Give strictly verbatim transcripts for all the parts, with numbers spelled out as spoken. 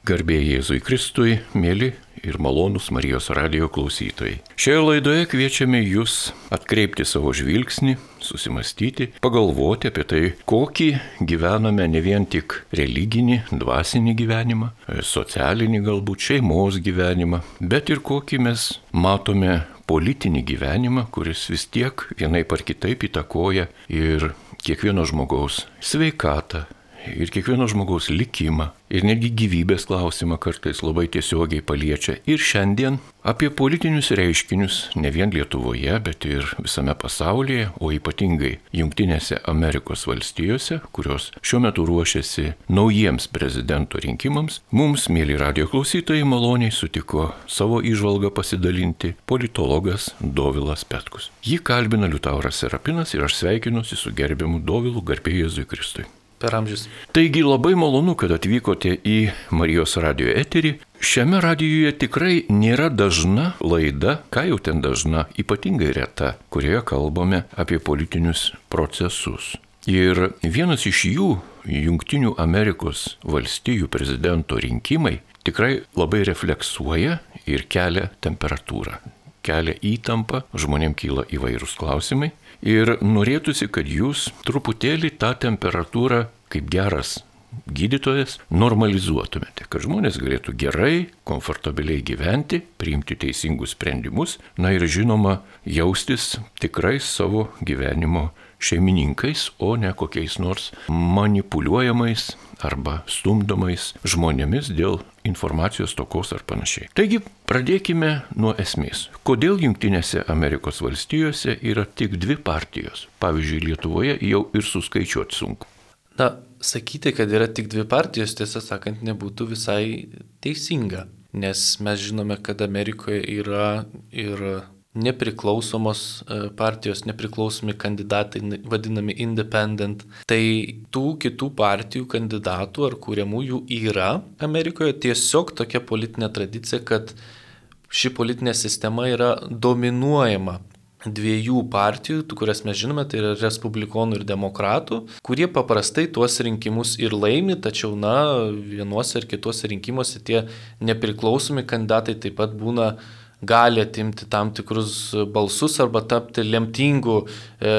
Garbė Jėzui Kristui, mėly ir malonūs Marijos radijo klausytojai. Šioje laidoje kviečiame jūs atkreipti savo žvilgsnį, susimastyti, pagalvoti apie tai, kokį gyvename ne vien tik religinį, dvasinį gyvenimą, socialinį galbūt šeimos gyvenimą, bet ir kokį mes matome politinį gyvenimą, kuris vis tiek vienaip ar kitaip įtakoja ir kiekvieno žmogaus sveikatą, ir kiekvieno žmogaus likimą, ir netgi gyvybės klausimą kartais labai tiesiogiai paliečia. Ir šiandien apie politinius reiškinius ne vien Lietuvoje, bet ir visame pasaulyje, o ypatingai Jungtinėse Amerikos valstijose, kurios šiuo metu ruošiasi naujiems prezidento rinkimams, mums, mėly radijo klausytojai, maloniai sutiko savo įžvalgą pasidalinti politologas Dovilas Petkus. Jį kalbina Liutauras Serapinas ir aš sveikinuosi su gerbiamu Dovilu, garbė Jėzui Kristui. Per amžius. Taigi labai malonu, kad atvykote į Marijos radijo eterį. Šiame radijuje tikrai nėra dažna laida, ką jau ten dažna, ypatingai reta, kurioje kalbame apie politinius procesus. Ir vienas iš jų, Jungtinių Amerikos valstijų prezidento rinkimai, tikrai labai refleksuoja ir kelia temperatūrą, kelia įtampą, žmonėms kyla įvairūs klausimai. Ir norėtųsi, kad jūs truputėlį tą temperatūrą, kaip geras gydytojas, normalizuotumėte, kad žmonės galėtų gerai, komfortabiliai gyventi, priimti teisingus sprendimus, na ir žinoma, jaustis tikrai savo gyvenimo šeimininkais, o ne kokiais nors manipuliuojamais arba stumdomais žmonėmis dėl informacijos stokos ar panašiai. Taigi, pradėkime nuo esmės. Kodėl Jungtinėse Amerikos valstijose yra tik dvi partijos? Pavyzdžiui, Lietuvoje jau ir suskaičiuoti sunku. Na, sakyti, kad yra tik dvi partijos, tiesą sakant, nebūtų visai teisinga, nes mes žinome, kad Amerikoje yra ir nepriklausomos partijos, nepriklausomi kandidatai, vadinami independent. Tai tų kitų partijų kandidatų ar kuriamų jų yra Amerikoje. Tiesiog tokia politinė tradicija, kad ši politinė sistema yra dominuojama dviejų partijų, kurias mes žinome, tai yra respublikonų ir demokratų, kurie paprastai tuos rinkimus ir laimi, tačiau, na, vienuose ar kituose rinkimuose tie nepriklausomi kandidatai taip pat būna gali atimti tam tikrus balsus arba tapti lemtingų, e,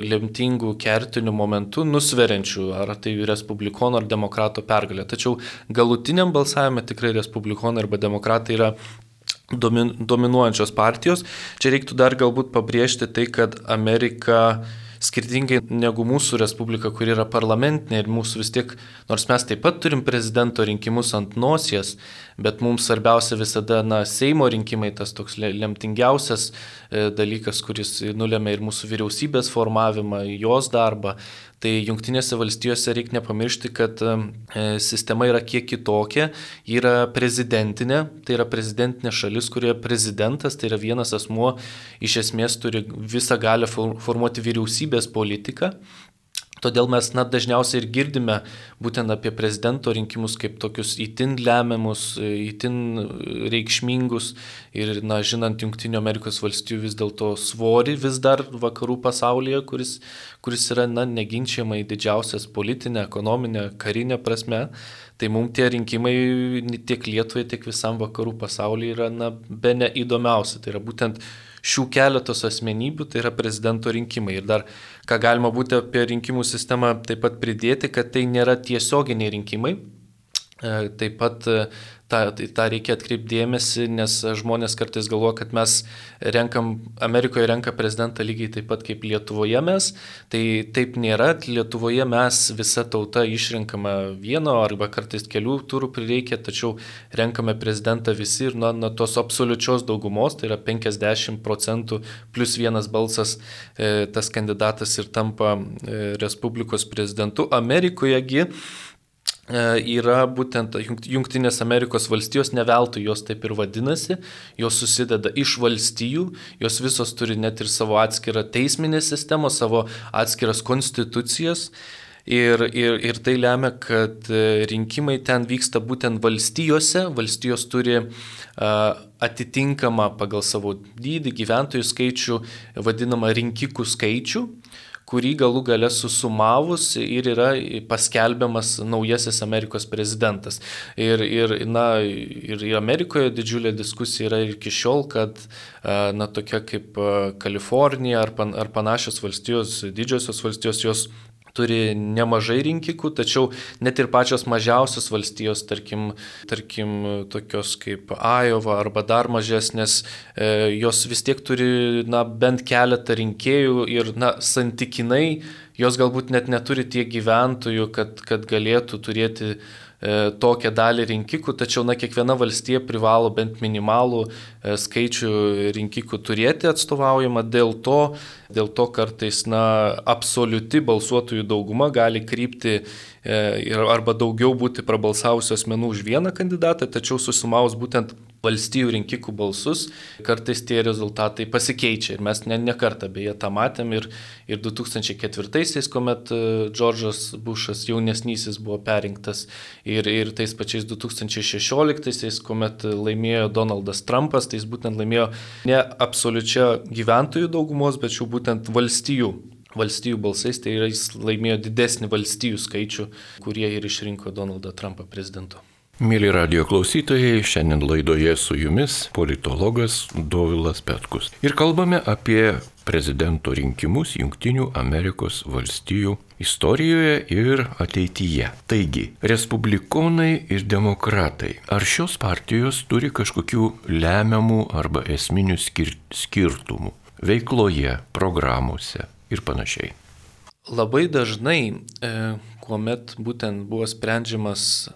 lemtingų kertinių momentų, nusveriančių, ar tai respublikonų ar demokrato pergalė. Tačiau galutiniam balsavime tikrai respublikonai arba demokratai yra domin, dominuojančios partijos. Čia reiktų dar galbūt pabrėžti tai, kad Amerika skirtingai negu mūsų respublika, kuri yra parlamentinė ir mūsų vis tiek, nors mes taip pat turim prezidento rinkimus ant nosies, bet mums svarbiausia visada, na, Seimo rinkimai, tas toks lemtingiausias e, dalykas, kuris nulėmė ir mūsų vyriausybės formavimą, jos darbą. Tai Jungtinėse valstijose reikia nepamiršti, kad e, sistema yra kiek kitokia, yra prezidentinė, tai yra prezidentinė šalis, kurioje prezidentas, tai yra vienas asmuo, iš esmės turi visą galę formuoti vyriausybės politiką. Todėl mes na, dažniausiai ir girdime būtent apie prezidento rinkimus kaip tokius itin lemiamus, itin reikšmingus ir, na, žinant Jungtinių Amerikos valstijų vis dėlto svorį vis dar vakarų pasaulyje, kuris, kuris yra na, neginčiamai didžiausias politinė, ekonominė, karinė prasme, tai mums tie rinkimai tiek Lietuvai, tiek visam vakarų pasaulyje yra na, bene įdomiausia. Tai yra būtent šių keletos asmenybių, tai yra prezidento rinkimai. Ir dar, ką galima būti apie rinkimų sistemą taip pat pridėti, kad tai nėra tiesioginiai rinkimai. Taip pat tą, tą reikia atkreipti dėmesį, nes žmonės kartais galvoja, kad mes renkam, Amerikoje renka prezidentą lygiai taip pat kaip Lietuvoje mes. Tai taip nėra. Lietuvoje mes visa tauta išrenkama vieno arba kartais kelių turų prireikia, tačiau renkame prezidentą visi ir nuo, nuo tos absoliučios daugumos, tai yra penkiasdešimt procentų plus vienas balsas, e, tas kandidatas ir tampa e, Respublikos prezidentu. Amerikojegi yra būtent Jungtinės Amerikos valstijos, ne veltui jos taip ir vadinasi, jos susideda iš valstijų, jos visos turi net ir savo atskirą teisminę sistemą, savo atskiras konstitucijas ir, ir, ir tai lemia, kad rinkimai ten vyksta būtent valstijose, valstijos turi uh, atitinkamą pagal savo dydį gyventojų skaičių vadinamą rinkikų skaičių, kurį galų gale susumavus ir yra paskelbiamas naujasis Amerikos prezidentas. Ir, ir, na, ir Amerikoje didžiulė diskusija yra iki šiol, kad na, tokia kaip Kalifornija ar, pan, ar panašios valstijos, didžiosios valstijos, jos turi nemažai rinkikų, tačiau net ir pačios mažiausios valstijos, tarkim, tarkim tokios kaip Iowa arba dar mažesnės, e, jos vis tiek turi na, bent keletą rinkėjų ir na, santykinai jos galbūt net neturi tiek gyventojų, kad, kad galėtų turėti e, tokią dalį rinkikų, tačiau na, kiekviena valstija privalo bent minimalų e, skaičių rinkikų turėti atstovaujama, dėl to, dėl to kartais na, absoliuti balsuotojų dauguma gali krypti e, arba daugiau būti prabalsavusių asmenų už vieną kandidatą, tačiau susumavus būtent valstijų rinkikų balsus, kartais tie rezultatai pasikeičia. Ir mes ne, ne kartą beje tą matėm ir, ir du tūkstančiai ketvirtaisiais, kuomet Džordžas Bušas jaunesnysis buvo perrinktas, ir, ir tais pačiais du tūkstančiai šešioliktaisiais, kuomet laimėjo Donaldas Trumpas, tai jis būtent laimėjo ne absoliučia gyventojų daugumos, bet šių būtent valstijų. Valstijų balsais, tai yra jis laimėjo didesnį valstijų skaičių, kurie ir išrinko Donaldą Trumpą prezidentu. Mėly radio klausytojai, šiandien laidoje su jumis politologas Dovilas Petkus. Ir kalbame apie prezidento rinkimus Jungtinių Amerikos valstijų istorijoje ir ateityje. Taigi, respublikonai ir demokratai. Ar šios partijos turi kažkokių lemiamų arba esminių skir- skirtumų veikloje, programuose ir panašiai? Labai dažnai, e, kuomet būtent buvo sprendžiamas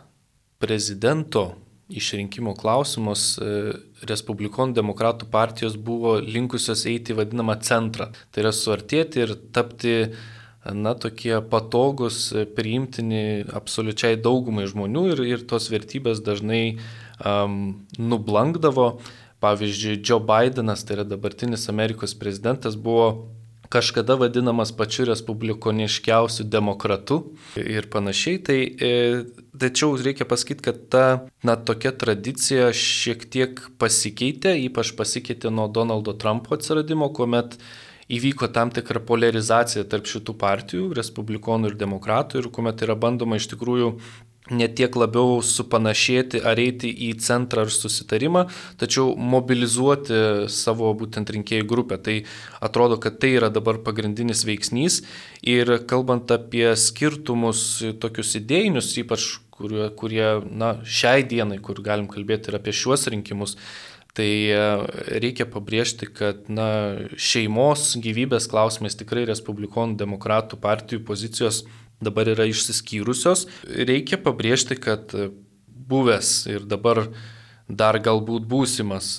prezidento išrinkimo klausimus, respublikonų demokratų partijos buvo linkusios eiti į vadinamą centrą. Tai yra suartėti ir tapti na, tokie patogus, priimtini absoliučiai daugumai žmonių ir, ir tos vertybės dažnai um, nublankdavo. Pavyzdžiui, Joe Bidenas, tai yra dabartinis Amerikos prezidentas, buvo kažkada vadinamas pačiu respublikoniškiausiu demokratu ir panašiai. Tai, e, tačiau reikia pasakyti, kad ta na, tokia tradicija šiek tiek pasikeitė, ypač pasikeitė nuo Donaldo Trumpo atsiradimo, kuomet įvyko tam tikra polarizacija tarp šitų partijų, respublikonų ir demokratų, ir kuomet yra bandoma iš tikrųjų ne tiek labiau supanašėti ar eiti į centrą ar susitarimą, tačiau mobilizuoti savo būtent rinkėjų grupę. Tai atrodo, kad tai yra dabar pagrindinis veiksnys. Ir kalbant apie skirtumus tokius idėjinius, ypač kurie, kurie na, šiai dienai, kur galim kalbėti ir apie šiuos rinkimus, tai reikia pabrėžti, kad na, šeimos gyvybės klausimais tikrai respublikonų demokratų partijų pozicijos dabar yra išsiskyrusios. Reikia pabrėžti, kad buvęs ir dabar dar galbūt būsimas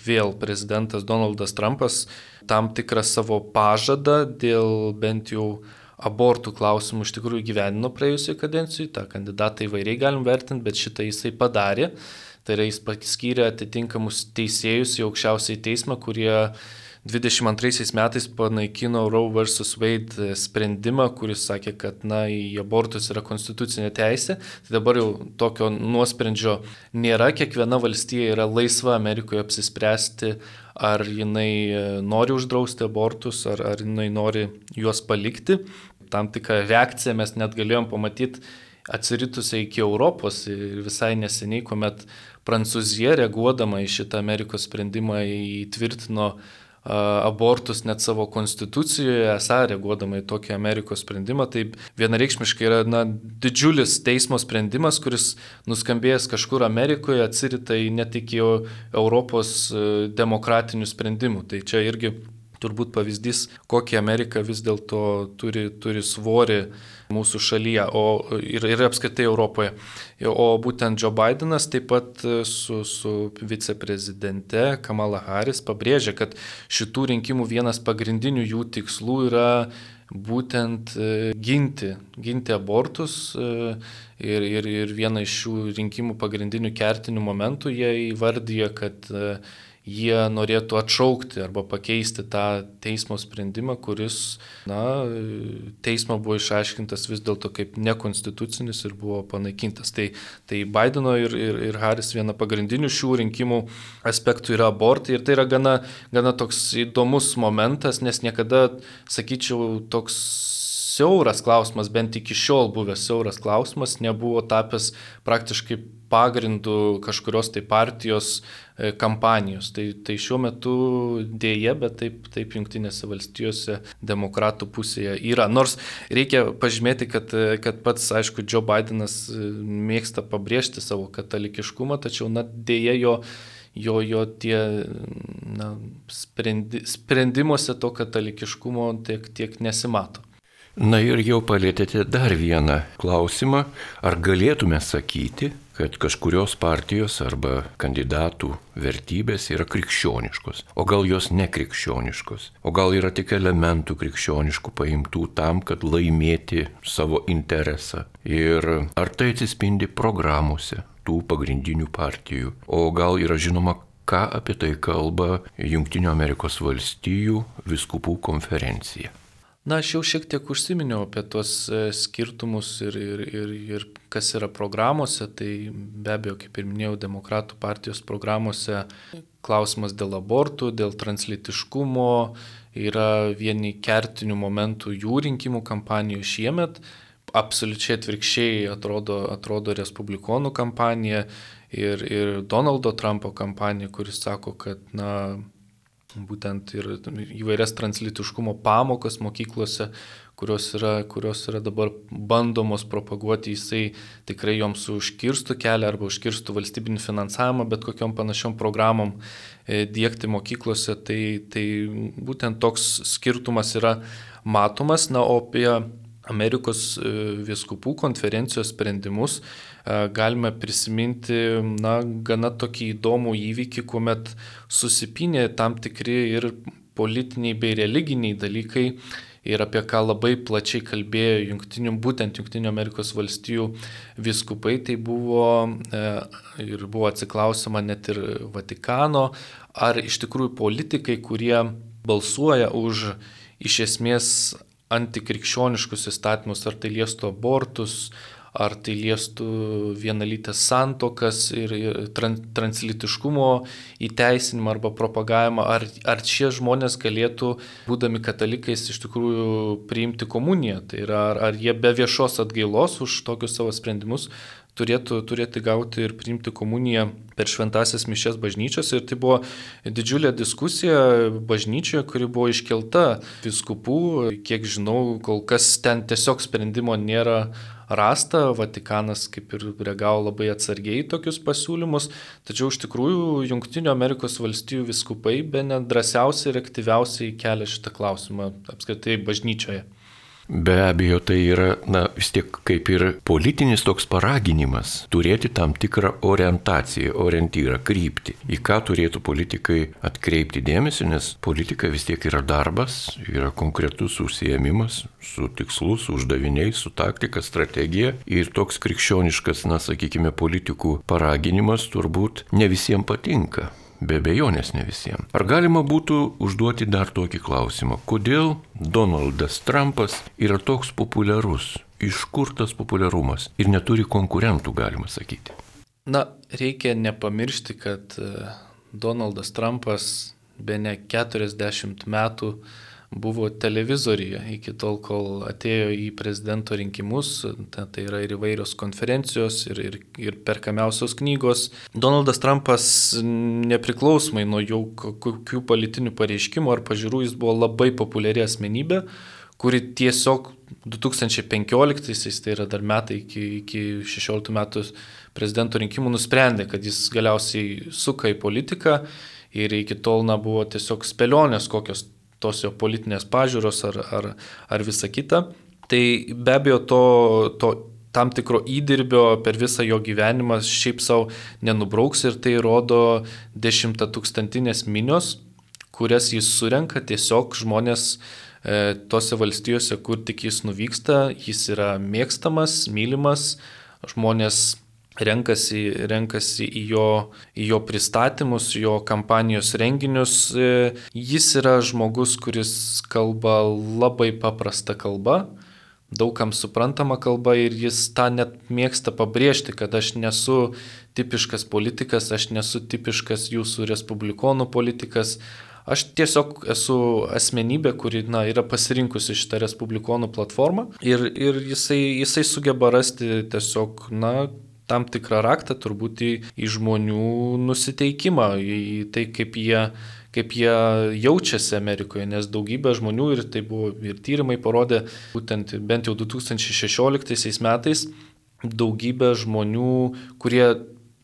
vėl prezidentas Donaldas Trumpas tam tikrą savo pažadą dėl bent jau abortų klausimų iš tikrųjų gyvenino praėjusioje kadencijoje. Ta kandidatą įvairiai galim vertinti, bet šitą jisai padarė. Tai yra jis paskyrė atitinkamus teisėjus į aukščiausiąjį teismą, kurie dvidešimt antraisiais metais panaikino Roe versus Wade sprendimą, kuris sakė, kad na, į abortus yra konstitucinė teisė. Tai dabar jau tokio nuosprendžio nėra. Kiekviena valstija yra laisva Amerikoje apsispręsti, ar jinai nori uždrausti abortus, ar, ar jinai nori juos palikti. Tam tikrą reakciją mes net galėjom pamatyti atsiritusią iki Europos ir visai neseniai, kuomet Prancūzija, reaguodama į šitą Amerikos sprendimą, įtvirtino abortus net savo konstitucijoje, esą reaguodama į tokį Amerikos sprendimą. Tai vienareikšmiškai yra na, didžiulis teismo sprendimas, kuris nuskambėjęs kažkur Amerikoje atsirita į net iki Europos demokratinių sprendimų. Tai čia irgi turbūt pavyzdys, kokį Amerika vis dėlto turi, turi svorį mūsų šalyje o, ir, ir apskritai Europoje. O būtent Joe Bidenas taip pat su, su viceprezidente Kamala Harris pabrėžia, kad šitų rinkimų vienas pagrindinių jų tikslų yra būtent ginti, ginti abortus ir, ir, ir vieną iš šių rinkimų pagrindinių kertinių momentų jie įvardyja, kad jie norėtų atšaukti arba pakeisti tą teismo sprendimą, kuris, na, teismo buvo išaiškintas vis dėlto kaip nekonstitucinis ir buvo panaikintas. Tai, tai Bideno ir, ir, ir Harris viena pagrindinių šių rinkimų aspektų yra abortai ir tai yra gana, gana toks įdomus momentas, nes niekada, sakyčiau, toks siauras klausimas, bent iki šiol buvęs siauras klausimas, nebuvo tapęs praktiškai pagrindų kažkurios tai partijos kampanijos. Tai, tai šiuo metu dėja, bet taip, taip Jungtinėse valstijose demokratų pusėje yra. Nors reikia pažymėti, kad, kad pats, aišku, Joe Bidenas mėgsta pabrėžti savo katalikiškumą, tačiau na, dėja jo jo, jo tie na, sprendi, sprendimuose to katalikiškumo tiek, tiek nesimato. Na ir jau palėtėte dar vieną klausimą. Ar galėtume sakyti, kad kažkurios partijos arba kandidatų vertybės yra krikščioniškos, o gal jos nekrikščioniškos, o gal yra tik elementų krikščioniškų paimtų tam, kad laimėti savo interesą. Ir ar tai atsispindi programuose tų pagrindinių partijų, o gal yra žinoma, ką apie tai kalba Jungtinių Amerikos valstijų vyskupų konferencija. Na, aš jau šiek tiek užsiminiau apie tuos skirtumus ir, ir, ir, ir kas yra programuose, tai be abejo, kaip ir minėjau, demokratų partijos programuose klausimas dėl abortų, dėl translytiškumo yra vieni kertinių momentų jų rinkimų kampanijų šiemet. Absoliučiai atvirkščiai atrodo, atrodo respublikonų kampanija ir, ir Donaldo Trumpo kampanija, kuris sako, kad na, būtent ir įvairias translytiškumo pamokas mokyklose, kurios yra, kurios yra dabar bandomos propaguoti, jisai tikrai joms užkirstų kelią arba užkirstų valstybinį finansavimą, bet kokiom panašiom programom diegti mokyklose, tai, tai būtent toks skirtumas yra matomas. Na, o apie Amerikos vyskupų konferencijos sprendimus galime prisiminti na, gana tokį įdomų įvykį, kuomet susipynė tam tikri ir politiniai bei religiniai dalykai ir apie ką labai plačiai kalbėjo jungtinių, būtent Jungtinių Amerikos valstijų vyskupai, tai buvo ir buvo atsiklausima net ir Vatikano, ar iš tikrųjų politikai, kurie balsuoja už iš esmės antikrikščioniškus įstatymus, ar tai liestų abortus, ar tai liestų vienalytės santuokas ir, ir translytiškumo įteisinimą arba propagavimą, ar, ar šie žmonės galėtų, būdami katalikais, iš tikrųjų priimti komuniją. Tai yra, ar, ar jie be viešos atgailos už tokius savo sprendimus turėtų, turėtų gauti ir priimti komuniją per šventąsias mišias bažnyčiose. Ir tai buvo didžiulė diskusija bažnyčioje, kuri buvo iškelta vyskupų. Kiek žinau, kol kas ten tiesiog sprendimo nėra rasta. Vatikanas kaip ir reagavo labai atsargiai tokius pasiūlymus. Tačiau iš tikrųjų Jungtinių Amerikos valstijų vyskupai bene drąsiausiai ir aktyviausiai kelia šitą klausimą apskritai bažnyčioje. Be abejo, tai yra, na, vis tiek kaip ir politinis toks paraginimas turėti tam tikrą orientaciją, orientyrą, kryptį, į ką turėtų politikai atkreipti dėmesį, nes politika vis tiek yra darbas, yra konkretus užsiėmimas su tikslu, su uždaviniais, su taktika, strategija ir toks krikščioniškas, na, sakykime, politikų paraginimas turbūt ne visiems patinka. Be abejonės ne visiems. Ar galima būtų užduoti dar tokį klausimą? Kodėl Donaldas Trumpas yra toks populiarus? Iš kur tas populiarumas? Ir neturi konkurentų, galima sakyti. Na, reikia nepamiršti, kad Donaldas Trumpas bene keturiasdešimt metų buvo televizoriuje iki tol, kol atėjo į prezidento rinkimus, tai yra ir įvairios konferencijos, ir, ir, ir perkamiausios knygos. Donaldas Trumpas nepriklausomai nuo jau kokių politinių pareiškimų ar pažiūrų, jis buvo labai populiari asmenybė, kuri tiesiog du tūkstančiai penkioliktaisiais, tai yra dar metai iki, iki šešioliktų metų prezidento rinkimų, nusprendė, kad jis galiausiai suka į politiką ir iki tol na, buvo tiesiog spėlionės kokios tos jo politinės pažiūros ar, ar, ar visa kita. Tai be abejo to, to tam tikro įdirbio per visą jo gyvenimą šiaip savo nenubrauks ir tai rodo dešimtatūkstantinės minios, kurias jis surenka tiesiog žmonės e, tose valstijose, kur tik jis nuvyksta, jis yra mėgstamas, mylimas, žmonės renkasi, renkasi į, jo, į jo pristatymus, jo kampanijos renginius. Jis yra žmogus, kuris kalba labai paprasta kalba, daugam suprantama kalba ir jis tą net mėgsta pabrėžti, kad aš nesu tipiškas politikas, aš nesu tipiškas jūsų respublikonų politikas. Aš tiesiog esu asmenybė, kuri na, yra pasirinkusi šitą respublikonų platformą ir, ir jisai, jisai sugeba rasti tiesiog na, tam tikrą raktą turbūt į, į žmonių nusiteikimą, į tai, kaip jie, kaip jie jaučiasi Amerikoje, nes daugybė žmonių, ir tai buvo ir tyrimai parodė, būtent bent jau du tūkstančiai šešioliktaisiais metais, daugybė žmonių, kurie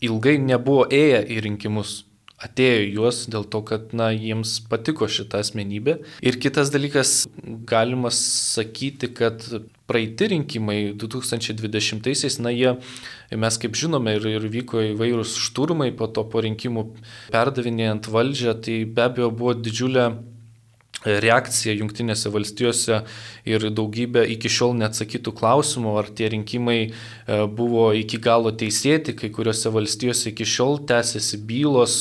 ilgai nebuvo ėję į rinkimus, atėjo juos dėl to, kad na, jiems patiko šita asmenybė. Ir kitas dalykas, galima sakyti, kad praeiti rinkimai du tūkstančiai dvidešimtaisiais, na jie, mes kaip žinome, ir, ir vyko įvairūs šturmai po to po rinkimų perdavinėjant valdžią, tai be abejo buvo didžiulė reakcija Jungtinėse valstijose ir daugybė iki šiol neatsakytų klausimų, ar tie rinkimai buvo iki galo teisėti, kai kuriuose valstijose iki šiol tęsiasi bylos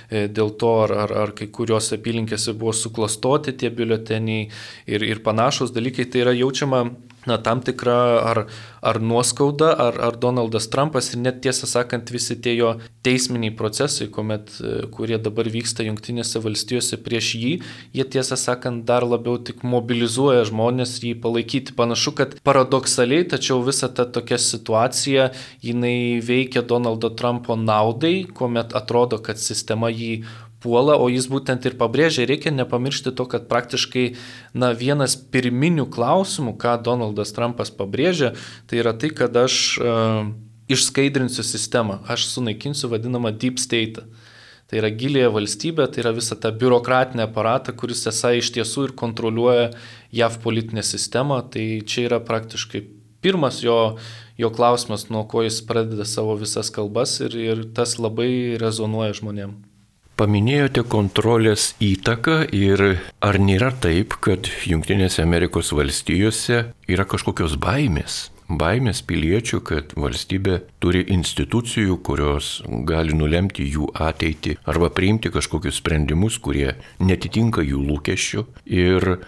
dėl to, ar, ar, ar kai kuriuose apylinkėse buvo suklastoti tie biuleteniai ir, ir panašus dalykai. Tai yra jaučiama na, tam tikra ar, ar nuoskauda, ar, ar Donaldas Trumpas ir net tiesą sakant visi tie jo teisminiai procesai, kuomet, kurie dabar vyksta Jungtinėse valstijose prieš jį, jie tiesą sakant dar labiau tik mobilizuoja žmonės jį palaikyti. Panašu, kad paradoksaliai, tačiau visa ta tokia situacija, jinai veikia Donaldo Trumpo naudai, kuomet atrodo, kad sistema jį puola, o jis būtent ir pabrėžia, reikia nepamiršti to, kad praktiškai na, vienas pirminių klausimų, ką Donaldas Trumpas pabrėžia, tai yra tai, kad aš uh, išskaidrinsiu sistemą, aš sunaikinsiu vadinamą deep state. Tai yra gilėje valstybė, tai yra visa ta biurokratinė aparata, kuris esą iš tiesų ir kontroliuoja J A V politinę sistemą. Tai čia yra praktiškai pirmas jo, jo klausimas, nuo ko jis pradeda savo visas kalbas ir, ir tas labai rezonuoja žmonėm. Paminėjote kontrolės įtaką ir ar nėra taip, kad Jungtinėse Amerikos valstijose yra kažkokios baimės? Baimės piliečių, kad valstybė turi institucijų, kurios gali nulemti jų ateitį arba priimti kažkokius sprendimus, kurie netitinka jų lūkesčių. Ir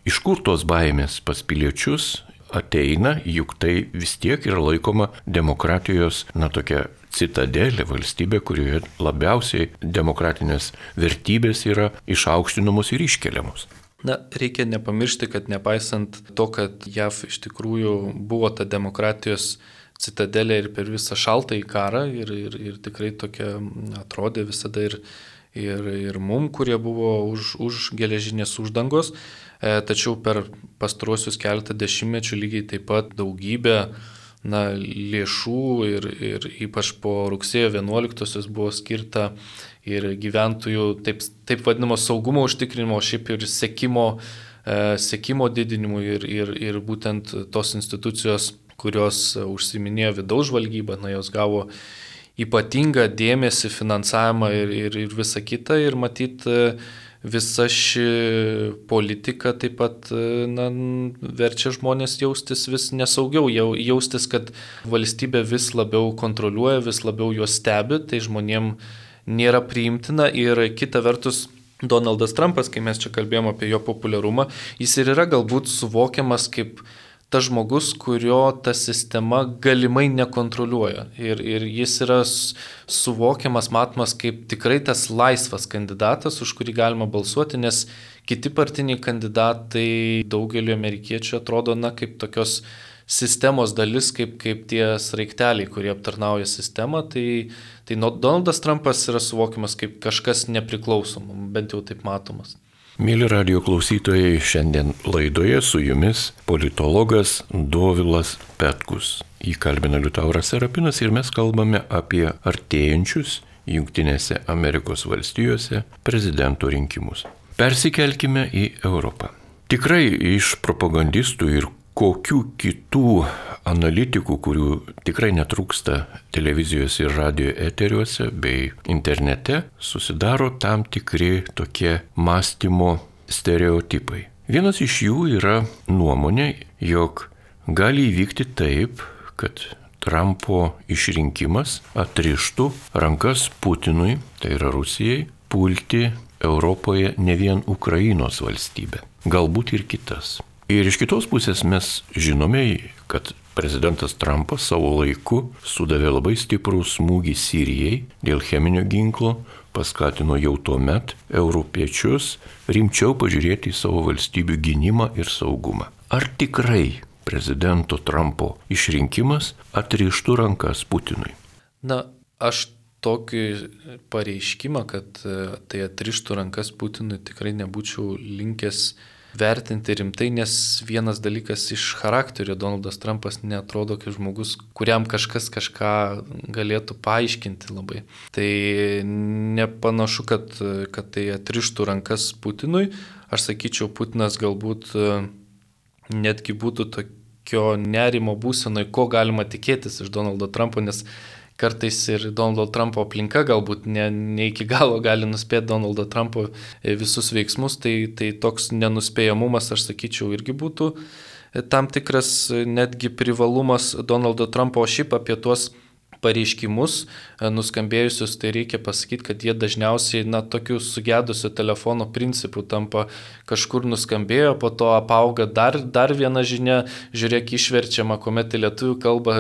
iš kur tos baimės pas piliečius ateina, juk tai vis tiek yra laikoma demokratijos, na tokia citadelė, valstybė, kurioje labiausiai demokratinės vertybės yra išaukštinamos ir iškeliamos. Na, reikia nepamiršti, kad nepaisant to, kad J A V iš tikrųjų buvo ta demokratijos citadelė ir per visą šaltąjį karą ir, ir, ir tikrai tokia atrodė visada ir, ir, ir mum, kurie buvo už, už geležinės uždangos, e, tačiau per pastaruosius keletą dešimtmečių lygiai taip pat daugybė na, lėšų ir, ir ypač po rugsėjo vienuoliktosios buvo skirta ir gyventojų taip, taip vadinamo saugumo užtikrinimo, šiaip ir sekimo, e, sekimo didinimui ir, ir, ir būtent tos institucijos, kurios užsiminėjo vidaus žvalgybą, na, jos gavo ypatingą dėmesį, finansavimą ir, ir, ir visą kitą ir matyt visa ši politika taip pat na, verčia žmonės jaustis vis nesaugiau, jaustis, kad valstybė vis labiau kontroliuoja, vis labiau juos stebi, tai žmonėm nėra priimtina ir kita vertus Donaldas Trumpas, kai mes čia kalbėjom apie jo populiarumą, jis ir yra galbūt suvokiamas kaip tas žmogus, kurio ta sistema galimai nekontroliuoja. Ir, ir jis yra suvokiamas, matomas kaip tikrai tas laisvas kandidatas, už kurį galima balsuoti, nes kiti partiniai kandidatai daugeliu amerikiečių atrodo na, kaip tokios sistemos dalis, kaip, kaip tie sraigteliai, kurie aptarnauja sistemą. Tai, tai Donaldas Trumpas yra suvokiamas kaip kažkas nepriklausomų, bent jau taip matomas. Mėly radijo klausytojai, šiandien laidoje su jumis politologas Dovilas Petkus. Jį kalbina Liutauras Serapinas ir mes kalbame apie artėjančius Jungtinėse Amerikos valstijose prezidento rinkimus. Persikelkime į Europą. Tikrai iš propagandistų ir kokių kitų analitikų, kurių tikrai netrūksta televizijos ir radio eteriuose bei internete, susidaro tam tikri tokie mąstymo stereotipai. Vienas iš jų yra nuomonė, jog gali įvykti taip, kad Trumpo išrinkimas atrištų rankas Putinui, tai yra Rusijai, pulti Europoje ne vien Ukrainos valstybę, galbūt ir kitas. Ir iš kitos pusės mes žinome, kad prezidentas Trumpas savo laiku sudavė labai stiprų smūgį Sirijai dėl cheminio ginklo, paskatino jau tuo met europiečius rimčiau pažiūrėti į savo valstybių gynimą ir saugumą. Ar tikrai prezidento Trumpo išrinkimas atrištų rankas Putinui? Na, aš tokį pareiškimą, kad tai atrištų rankas Putinui, tikrai nebūčiau linkęs vertinti rimtai, nes vienas dalykas iš charakterio Donaldas Trumpas neatrodo kaip žmogus, kuriam kažkas kažką galėtų paaiškinti labai. Tai nepanašu, kad, kad tai atrištų rankas Putinui. Aš sakyčiau, Putinas galbūt netgi būtų tokio nerimo būsenoje, ko galima tikėtis iš Donaldo Trumpo, nes kartais ir Donaldo Trumpo aplinka galbūt ne, ne iki galo gali nuspėti Donaldo Trumpo visus veiksmus, tai, tai toks nenuspėjamumas, aš sakyčiau, irgi būtų tam tikras netgi privalumas Donaldo Trumpo, o šiaip apie tuos pareiškimus nuskambėjusius, tai reikia pasakyti, kad jie dažniausiai, na, tokių sugedusio telefono principų tampa, kažkur nuskambėjo, po to apauga dar, dar viena žinia, žiūrėk, išverčiama, kuomet į lietuvių kalbą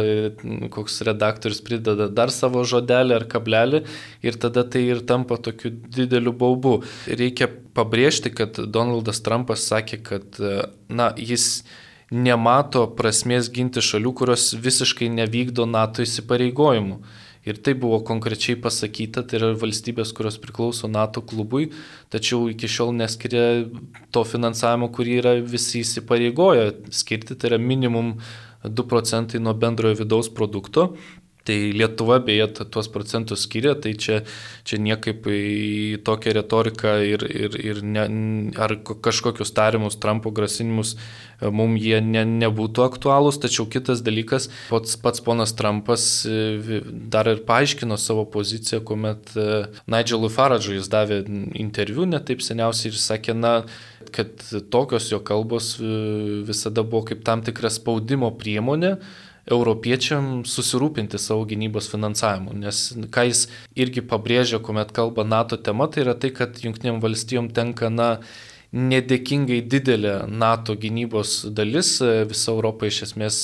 koks redaktorius prideda dar savo žodelį ar kablelį ir tada tai ir tampa tokiu dideliu baubu. Reikia pabrėžti, kad Donaldas Trumpas sakė, kad, na, jis nemato prasmės ginti šalių, kurios visiškai nevykdo NATO įsipareigojimų. Ir tai buvo konkrečiai pasakyta, tai yra valstybės, kurios priklauso NATO klubui, tačiau iki šiol neskiria to finansavimo, kurį yra visi įsipareigoję skirti, tai yra minimum du procentai nuo bendrojo vidaus produkto. Tai Lietuva beje tuos procentus skiria, tai čia, čia niekaip į tokią retoriką ir, ir, ir ne, ar kažkokius tarimus Trumpo grasinimus mums jie ne, nebūtų aktualūs, tačiau kitas dalykas, pats, pats ponas Trumpas dar ir paaiškino savo poziciją, kuomet Nigelui Farage'ui jis davė interviu netaip seniausiai ir sakė, na, kad tokios jo kalbos visada buvo kaip tam tikra spaudimo priemonė europiečiam susirūpinti savo gynybos finansavimu, nes ką jis irgi pabrėžia, kuomet kalba NATO tema, tai yra tai, kad Jungtinėm valstijom tenka, na, nedėkingai didelė NATO gynybos dalis, visa Europa iš esmės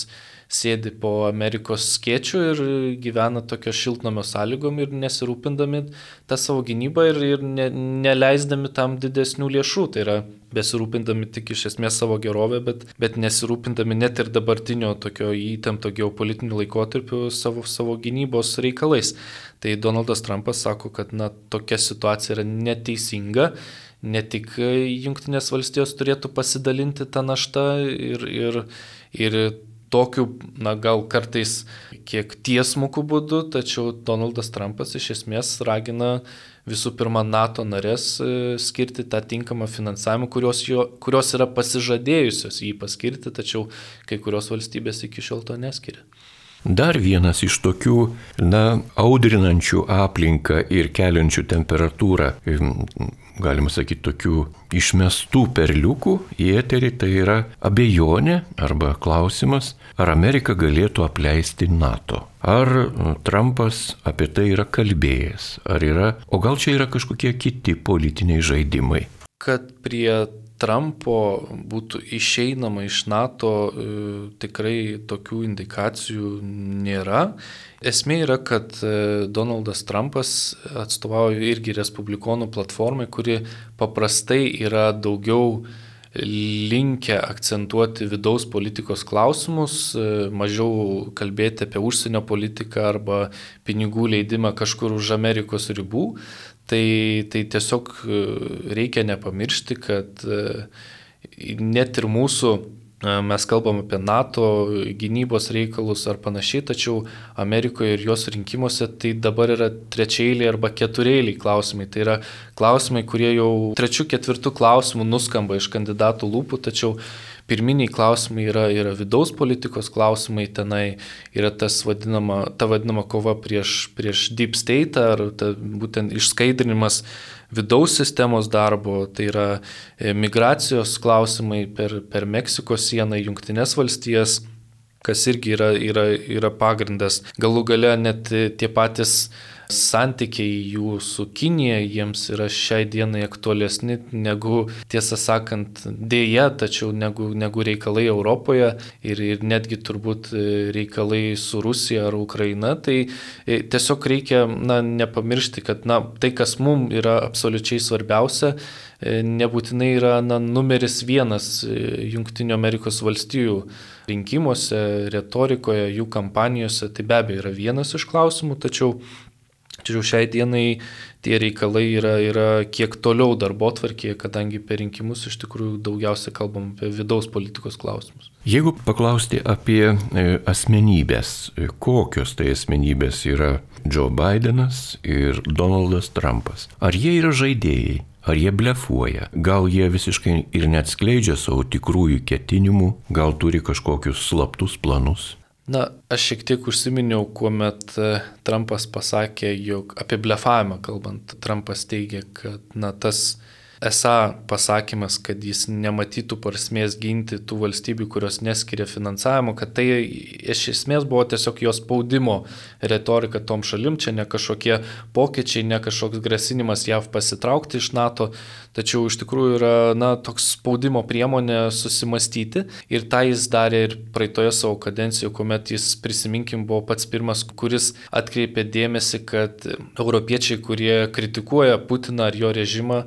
sėdi po Amerikos skėčių ir gyvena tokio šiltnamio sąlygom ir nesirūpindami tą savo gynybą ir, ir ne, neleisdami tam didesnių lėšų. Tai yra besirūpindami tik iš esmės savo gerovę, bet, bet nesirūpindami net ir dabartinio tokio įtempto geopolitinio laikotarpio savo, savo gynybos reikalais. Tai Donaldas Trumpas sako, kad, na, tokia situacija yra neteisinga. Ne tik Jungtinės valstijos turėtų pasidalinti tą naštą ir, ir, ir tokiu, na, gal kartais kiek tiesmukų būdu, tačiau Donaldas Trumpas iš esmės ragina visų pirma NATO narės skirti tą tinkamą finansavimą, kurios, jo, kurios yra pasižadėjusios jį paskirti, tačiau kai kurios valstybės iki šiol to neskiria. Dar vienas iš tokių, na, audrinančių aplinką ir keliančių temperatūrą, galima sakyti, tokių išmestų perliukų į eterį, tai yra abejonė arba klausimas, ar Amerika galėtų apleisti NATO. Ar Trumpas apie tai yra kalbėjęs, ar yra, o gal čia yra kažkokie kiti politiniai žaidimai. Kad prie Trumpo būtų išeinama iš NATO, e, tikrai tokių indikacijų nėra. Esmė yra, kad Donaldas Trumpas atstovauja irgi respublikonų platformai, kuri paprastai yra daugiau linkę akcentuoti vidaus politikos klausimus, mažiau kalbėti apie užsienio politiką arba pinigų leidimą kažkur už Amerikos ribų. Tai, tai tiesiog reikia nepamiršti, kad net ir mūsų, mes kalbam apie NATO gynybos reikalus ar panašiai, tačiau Amerikoje ir jos rinkimuose tai dabar yra trečiaeiliai arba ketureiliai klausimai. Tai yra klausimai, kurie jau trečių, ketvirtų klausimų nuskamba iš kandidatų lūpų, tačiau pirminiai klausimai yra, yra vidaus politikos klausimai, tenai yra tas vadinama, ta vadinama kova prieš, prieš deep state ar ta, būtent išskaidrinimas vidaus sistemos darbo, tai yra migracijos klausimai per, per Meksikos sieną į Jungtines valstijas, kas irgi yra, yra, yra pagrindas. Galų gale net tie patys santykiai jų su Kinija jiems yra šiai dienai aktualesni negu, tiesą sakant, dėja, tačiau negu, negu reikalai Europoje ir, ir netgi turbūt reikalai su Rusija ar Ukraina. Tai tiesiog reikia na, nepamiršti, kad na, tai, kas mums yra absoliučiai svarbiausia, nebūtinai yra na, numeris vienas Jungtinių Amerikos valstijų rinkimuose, retorikoje, jų kampanijose. Tai be abejo yra vienas iš klausimų, tačiau Tačiau šiai dienai tie reikalai yra, yra kiek toliau darbotvarkėje, kadangi per rinkimus iš tikrųjų daugiausia kalbam apie vidaus politikos klausimus. Jeigu paklausti apie asmenybės, kokios tai asmenybės yra Joe Bidenas ir Donaldas Trumpas, ar jie yra žaidėjai? Ar jie blefuoja? Gal jie visiškai ir neatskleidžia savo tikrųjų ketinimų, gal turi kažkokius slaptus planus? Na, aš šiek tiek užsiminiau, kuomet Trumpas pasakė, jog apie blefavimą kalbant, Trumpas teigia, kad na, tas esą pasakymas, kad jis nematytų prasmės ginti tų valstybių, kurios neskiria finansavimo, kad tai iš esmės buvo tiesiog jos spaudimo retorika tom šalim, čia ne kažkokie pokyčiai, ne kažkoks grasinimas J A V pasitraukti iš NATO, tačiau iš tikrųjų yra na, toks spaudimo priemonė susimastyti ir tą jis darė ir praeitoje savo kadencijoje, kuomet jis, prisiminkim, buvo pats pirmas, kuris atkreipė dėmesį, kad europiečiai, kurie kritikuoja Putiną ar jo režimą,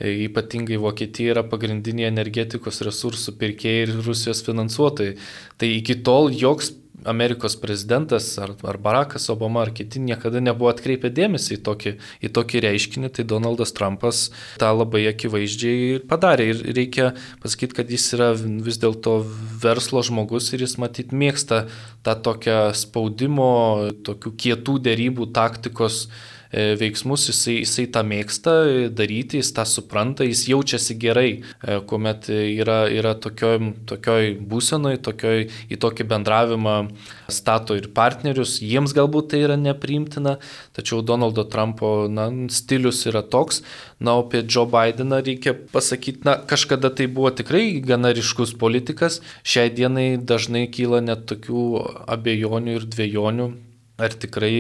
ypatingai Vokietija yra pagrindiniai energetikos resursų pirkėjai ir Rusijos finansuotojai. Tai iki tol joks Amerikos prezidentas ar, ar Barackas Obama ar kiti niekada nebuvo atkreipę dėmesį į tokį, į tokį reiškinį, tai Donaldas Trumpas tą labai akivaizdžiai padarė. Ir reikia pasakyti, kad jis yra vis dėlto verslo žmogus ir jis matyt mėgsta tą tokią spaudimo, tokių kietų derybų taktikos veiksmus, jisai, jisai tą mėgsta daryti, jis tą supranta, jis jaučiasi gerai, kuomet yra, yra tokioj, tokioj būsenoj, tokioj, į tokį bendravimą stato ir partnerius, jiems galbūt tai yra nepriimtina, tačiau Donaldo Trumpo na, stilius yra toks. Na, o apie Joe Bideną reikia pasakyti, na, kažkada tai buvo tikrai gana ryškus politikas, šiai dienai dažnai kyla net tokių abejonių ir dvejonių, ar tikrai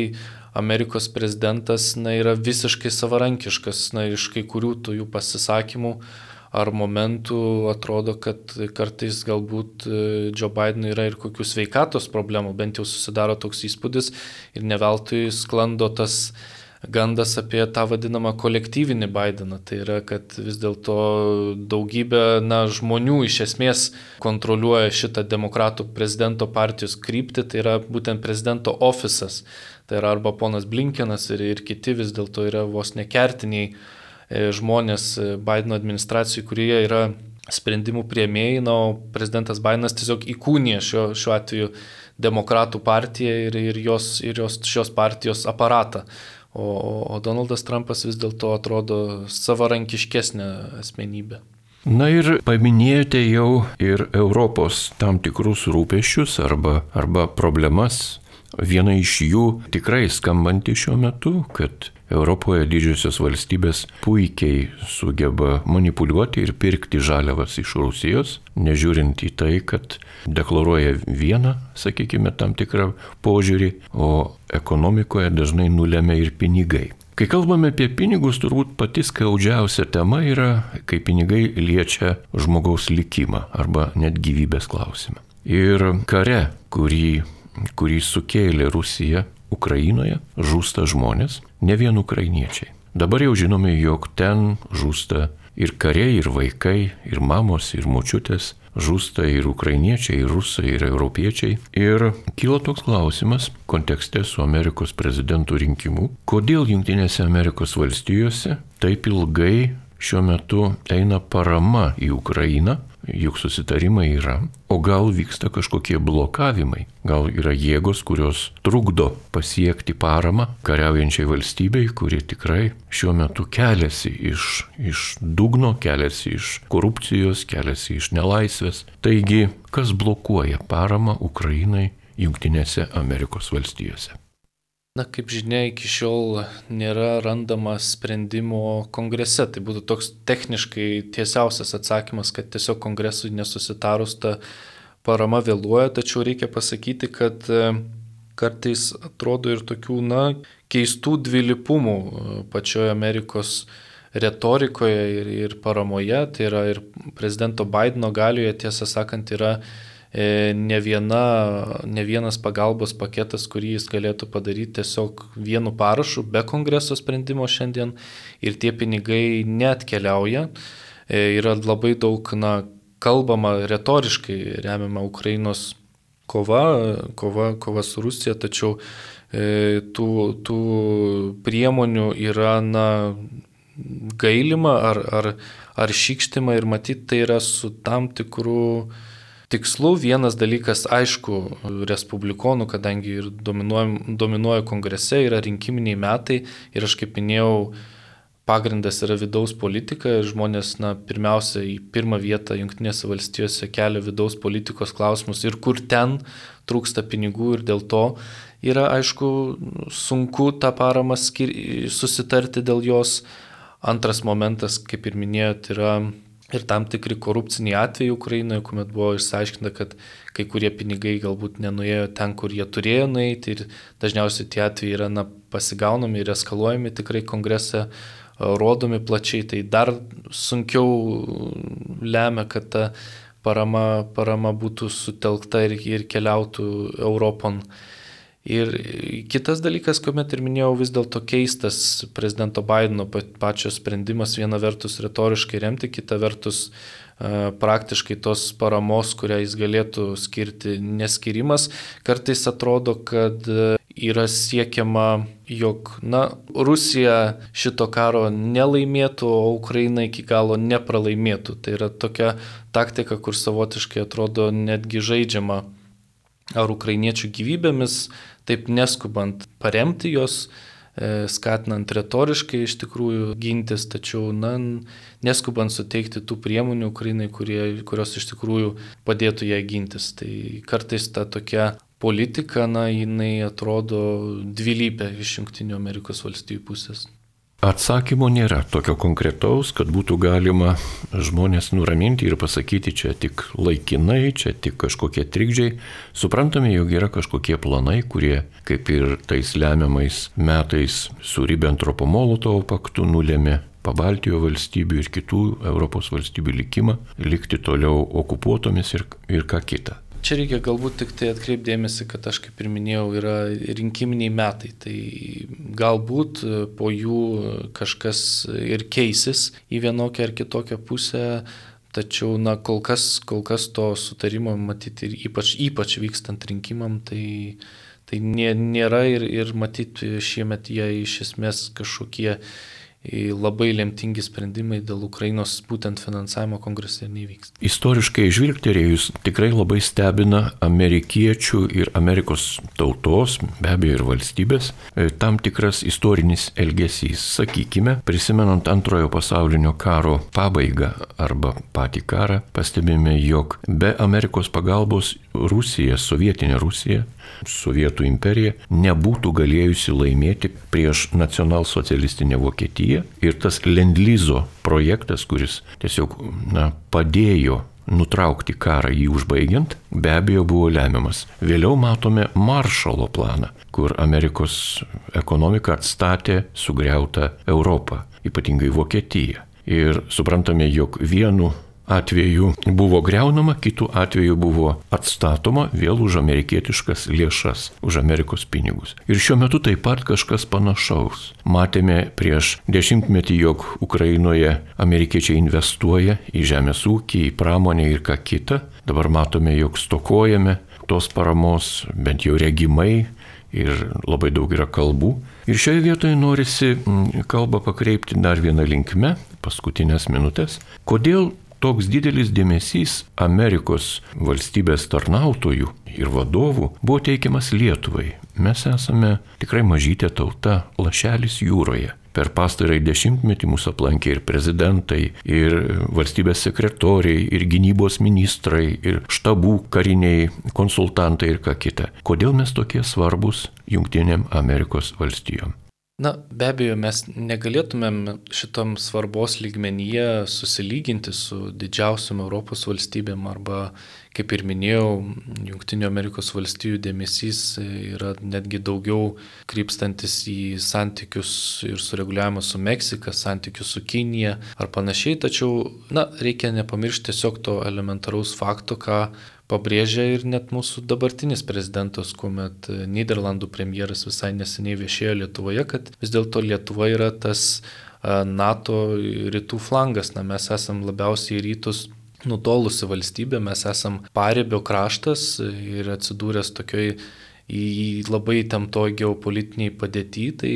Amerikos prezidentas na, yra visiškai savarankiškas, na, iš kai kurių tų jų pasisakymų ar momentų atrodo, kad kartais galbūt Joe Bidenui yra ir kokių sveikatos problemų, bent jau susidaro toks įspūdis ir neveltui sklando tas gandas apie tą vadinamą kolektyvinį Bideną. Tai yra, kad vis dėlto daugybė na, žmonių iš esmės kontroliuoja šitą demokratų prezidento partijos kryptį, tai yra būtent prezidento ofisas. Tai yra arba ponas Blinkenas ir, ir kiti vis dėlto yra vos nekertiniai žmonės Bideno administracijai, kurie yra sprendimų priėmėjai, na, o prezidentas Bidenas tiesiog įkūnija šio, šiuo atveju demokratų partiją ir, ir, jos, ir jos, šios partijos aparatą. O, o Donaldas Trumpas vis dėlto atrodo savarankiškesnė asmenybė. Na ir paminėjote jau ir Europos tam tikrus rūpesčius arba, arba problemas. Viena iš jų tikrai skambanti šiuo metu, kad Europoje didžiosios valstybės puikiai sugeba manipuliuoti ir pirkti žaliavas iš Rusijos, nežiūrint į tai, kad deklaruoja vieną, sakykime, tam tikrą požiūrį, o ekonomikoje dažnai nulemia ir pinigai. Kai kalbame apie pinigus, turbūt pati skaudžiausia tema yra, kai pinigai liečia žmogaus likimą arba net gyvybės klausimą. Ir kare, kurį kurį sukėlė Rusija Ukrainoje, žūsta žmonės, ne vien ukrainiečiai. Dabar jau žinome, jog ten žūsta ir kariai, ir vaikai, ir mamos, ir močiutės, žūsta ir ukrainiečiai, ir rusai, ir europiečiai. Ir kyla toks klausimas kontekste su Amerikos prezidentų rinkimu, kodėl Jungtinėse Amerikos valstijose taip ilgai šiuo metu eina parama į Ukrainą, juk susitarimai yra, o gal vyksta kažkokie blokavimai, gal yra jėgos, kurios trukdo pasiekti paramą kariaujančiai valstybei, kuri tikrai šiuo metu keliasi iš, iš dugno, keliasi iš korupcijos, keliasi iš nelaisvės. Taigi, kas blokuoja paramą Ukrainai Jungtinėse Amerikos valstijose? Na, kaip žinia, iki šiol nėra randama sprendimo kongrese. Tai būtų toks techniškai tiesiausias atsakymas, kad tiesiog kongresui nesusitarus ta parama vėluoja, tačiau reikia pasakyti, kad kartais atrodo ir tokių, na, keistų dvilypumų pačioje Amerikos retorikoje ir, ir paramoje. Tai yra ir prezidento Bideno galioje, tiesą sakant, yra ne, viena, ne vienas pagalbos paketas, kurį jis galėtų padaryti tiesiog vienu parašu, be kongreso sprendimo šiandien, ir tie pinigai neatkeliauja. Yra labai daug, na, kalbama retoriškai remiama Ukrainos kova, kova, kova su Rusija, tačiau e, tų, tų priemonių yra, na, gailima ar, ar, ar šykštima, ir matyt, tai yra su tam tikrų tikslu. Vienas dalykas, aišku, respublikonų, kadangi ir dominuoja, dominuoja kongrese, yra rinkiminiai metai, ir aš kaip minėjau, pagrindas yra vidaus politika, ir žmonės, na, pirmiausia, į pirmą vietą Jungtinėse valstijose kelia vidaus politikos klausimus ir kur ten trūksta pinigų, ir dėl to yra, aišku, sunku tą paramą skir... susitarti dėl jos. Antras momentas, kaip ir minėjot, yra ir tam tikri korupciniai atvejai Ukrainoje, kuomet buvo išsiaiškinta, kad kai kurie pinigai galbūt nenuėjo ten, kur jie turėjo nueiti, ir dažniausiai tie atvejai yra, na, pasigaunami ir eskaluojami tikrai kongrese, rodomi plačiai. Tai dar sunkiau lemia, kad ta parama, parama būtų sutelkta ir, ir keliautų Europon. Ir kitas dalykas, kuomet ir minėjau, vis dėlto keistas prezidento Bideno pačio sprendimas, viena vertus retoriškai remti, kita vertus praktiškai tos paramos, kurią jis galėtų skirti, neskirimas. Kartais atrodo, kad yra siekiama, jog, na, Rusija šito karo nelaimėtų, o Ukraina iki galo nepralaimėtų. Tai yra tokia taktika, kur savotiškai atrodo netgi žaidžiama ar ukrainiečių gyvybėmis, taip neskubant paremti jos, skatinant retoriškai iš tikrųjų gintis, tačiau, na, neskubant suteikti tų priemonių Ukrainai, kurie, kurios iš tikrųjų padėtų ją gintis. Tai kartais ta tokia politika, na, jinai atrodo dvilypė iš Jungtinių Amerikos valstijų pusės. Atsakymo nėra tokio konkretaus, kad būtų galima žmonės nuraminti ir pasakyti, čia tik laikinai, čia tik kažkokie trikdžiai. Suprantame, jog yra kažkokie planai, kurie, kaip ir tais lemiamais metais su Ribbentropo-Molotovo paktu, nulėmė Pabaltijo valstybių ir kitų Europos valstybių likimą, likti toliau okupuotomis ir, ir ką kita. Čia reikia galbūt tik tai atkreipdėmėsi, kad aš kaip ir minėjau, yra rinkiminiai metai, tai galbūt po jų kažkas ir keisis į vienokią ar kitokią pusę, tačiau, na, kol kas, kol kas to sutarimo matyti ir ypač, ypač vykstant rinkimam, tai, tai nėra ir, ir matyti šiemet jie iš esmės kažkokie labai lemtingi sprendimai dėl Ukrainos būtent finansavimo kongrese nevyks. Istoriškai žvilgterėjus tikrai labai stebina amerikiečių ir Amerikos tautos, be abejo ir valstybės, tam tikras istorinis elgesys. Sakykime, prisimenant antrojo pasaulinio karo pabaigą arba patį karą, pastebime, jog be Amerikos pagalbos Rusija, sovietinė Rusija, Sovietų imperija nebūtų galėjusi laimėti prieš nacionalsocialistinę Vokietiją, ir tas Lendlizo projektas, kuris tiesiog, na, padėjo nutraukti karą jį užbaigiant, be abejo buvo lemiamas. Vėliau matome Maršalo planą, kur Amerikos ekonomika atstatė sugriautą Europą, ypatingai Vokietiją. Ir suprantame, jog vienu atveju buvo greunama, kitų atveju buvo atstatoma vėl už amerikietiškas lėšas, už Amerikos pinigus. Ir šiuo metu taip pat kažkas panašaus. Matėme prieš dešimtmetį, jog Ukrainoje amerikiečiai investuoja į žemės ūkį, į pramonę ir ką kita. Dabar matome, jog stokojame tos paramos, bent jau regimai, ir labai daug yra kalbų. Ir šioje vietoje norisi kalbą pakreipti dar vieną linkme, paskutinės minutės. Kodėl toks didelis dėmesys Amerikos valstybės tarnautojų ir vadovų buvo teikiamas Lietuvai? Mes esame tikrai mažytė tauta, lašelis jūroje. Per pastarąjį dešimtmetį mūsų aplankė ir prezidentai, ir valstybės sekretoriai, ir gynybos ministrai, ir štabų kariniai konsultantai ir ką kita. Kodėl mes tokie svarbus Jungtinėm Amerikos valstijom? Na, be abejo, mes negalėtumėm šitam svarbos lygmenyje susilyginti su didžiausiom Europos valstybėm arba kaip ir minėjau, Junktinių Amerikos valstijų dėmesys yra netgi daugiau krypstantis į santykius ir sureguliavimą su Meksika, santykius su Kinija ar panašiai, tačiau, na, reikia nepamiršti tiesiog to elementaraus fakto, ką pabrėžia ir net mūsų dabartinis prezidentas, kuomet Nyderlandų premjeras visai neseniai viešėjo Lietuvoje, kad vis dėlto Lietuva yra tas NATO rytų flangas, na, mes esam labiausiai rytus nutolusi valstybė, mes esam paribio kraštas ir atsidūręs tokioj į labai įtemptoj geopolitiniai padėty, tai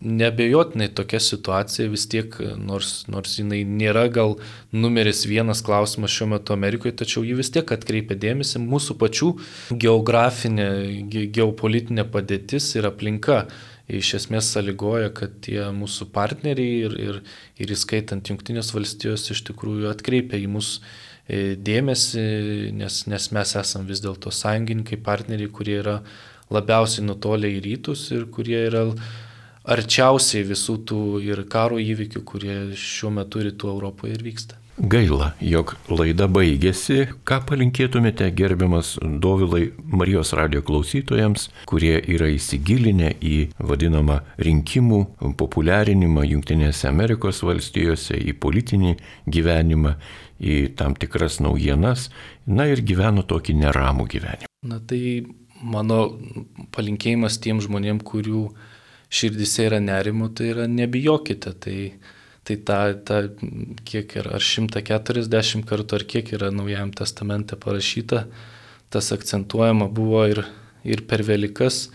neabejotinai tokia situacija vis tiek, nors, nors jinai nėra gal numeris vienas klausimas šiuo metu Amerikoje, tačiau ji vis tiek atkreipia dėmesį mūsų pačių geografinė, ge, geopolitinė padėtis ir aplinka. Iš esmės sąlygoja, kad tie mūsų partneriai ir, ir, ir įskaitant Jungtinės valstijos iš tikrųjų atkreipia į mus dėmesį, nes, nes mes esam vis dėlto sąjungininkai, partneriai, kurie yra labiausiai nutolę į rytus ir kurie yra arčiausiai visų tų ir karo įvykių, kurie šiuo metu rytų Europoje ir vyksta. Gaila, jog laida baigėsi. Ką palinkėtumėte, gerbiamas Dovilai, Marijos radijo klausytojams, kurie yra įsigilinę į vadinamą rinkimų populiarinimą Jungtinėse Amerikos valstijose, į politinį gyvenimą, į tam tikras naujienas, na ir gyveno tokį neramų gyvenimą? Na tai mano palinkėjimas tiem žmonėm, kurių širdise yra nerimo, tai yra nebijokite, tai, tai ta, ta kiek yra, ar šimtas keturiasdešimt kartų, ar kiek yra Naujajam testamente parašyta, tas akcentuojama buvo ir, ir per Velykas,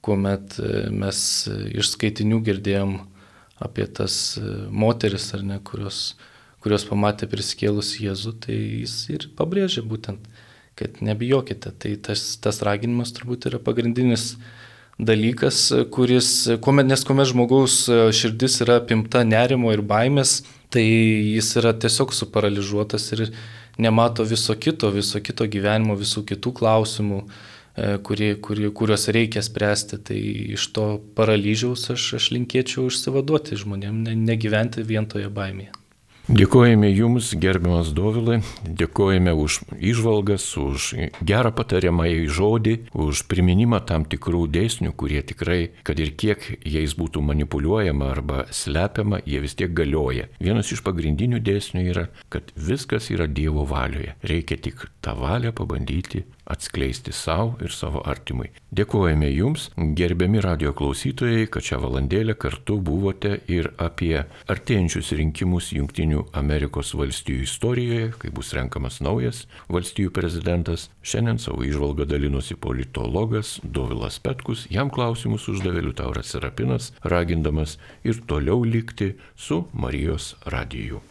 kuomet mes iš skaitinių girdėjom apie tas moteris, ar ne, kurios, kurios pamatė prisikėlus Jėzų, tai jis ir pabrėžė būtent, kad nebijokite, tai tas, tas raginimas turbūt yra pagrindinis dalykas, kuris, kuomet, nes kuomet žmogaus širdis yra apimta nerimo ir baimės, tai jis yra tiesiog suparaližuotas ir nemato viso kito, viso kito gyvenimo, visų kitų klausimų, kurie, kurie, kuriuos reikia spręsti. Tai iš to paralyžiaus aš, aš linkėčiau išsivaduoti žmonėm, ne, negyventi vien toje baimėje. Dėkojame Jums, gerbiamas Dovilai, dėkojame už įžvalgas, už gerą patariamąjį žodį, už priminimą tam tikrų dėsnių, kurie tikrai, kad ir kiek jais būtų manipuliuojama arba slepiama, jie vis tiek galioja. Vienas iš pagrindinių dėsnių yra, kad viskas yra Dievo valioje. Reikia tik tą valią pabandyti atskleisti savo ir savo artimui. Dėkojame Jums, gerbiami radijo klausytojai, kad šią valandėlę kartu buvote ir apie artėjančius rinkimus Jungtinių Amerikos valstijų istorijoje, kai bus renkamas naujas valstijų prezidentas. Šiandien savo įžvalgą dalinosi politologas Dovilas Petkus, jam klausimus uždavė Liutauras Serapinas, ragindamas ir toliau likti su Marijos radiju.